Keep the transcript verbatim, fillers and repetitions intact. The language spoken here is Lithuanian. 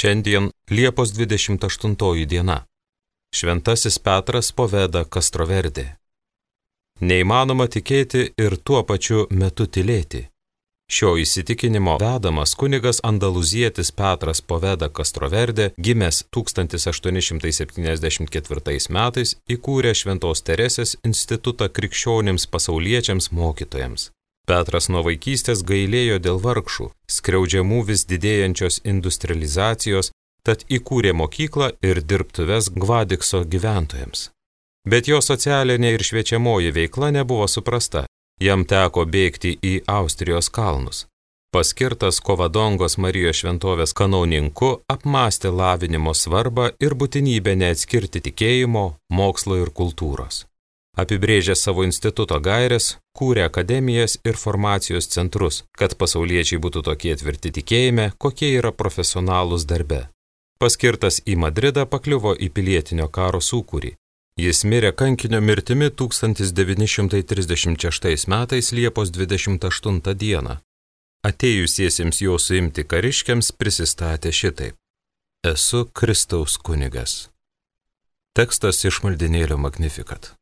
Šiandien Liepos dvidešimt aštuntoji diena. Šventasis Petras Poveda Castroverde. Neįmanoma tikėti ir tuo pačiu metu tylėti. Šio įsitikinimo vedamas kunigas andaluzietis Petras Poveda Castroverde, gimęs tūkstantis aštuoni šimtai septyniasdešimt ketvirtais metais, įkūrė Šventos Teresės institutą krikščionims pasauliečiams mokytojams. Petras nuo vaikystės gailėjo dėl vargšų, skriaudžiamų vis didėjančios industrializacijos, tad įkūrė mokyklą ir dirbtuves Gvadikso gyventojams. Bet jo socialinė ir šviečiamoji veikla nebuvo suprasta, jam teko bėgti į Austrijos kalnus. Paskirtas Kovadongos Marijos šventovės kanauninku, apmąstė lavinimo svarbą ir būtinybę neatskirti tikėjimo, mokslo ir kultūros. Apibrėžė savo instituto gaires, kūrė akademijas ir formacijos centrus, kad pasauliečiai būtų tokie tvirti tikėjime, kokie yra profesionalūs darbe. Paskirtas į Madridą, pakliuvo į pilietinio karo sūkurį. Jis mirė kankinio mirtimi tūkstantis devyni šimtai trisdešimt šeštais metais Liepos dvidešimt aštuntą dieną. Atėjusiesiems jo suimti kariškiams prisistatė šitaip: Esu Kristaus kunigas. Tekstas iš maldynėlio Magnificat.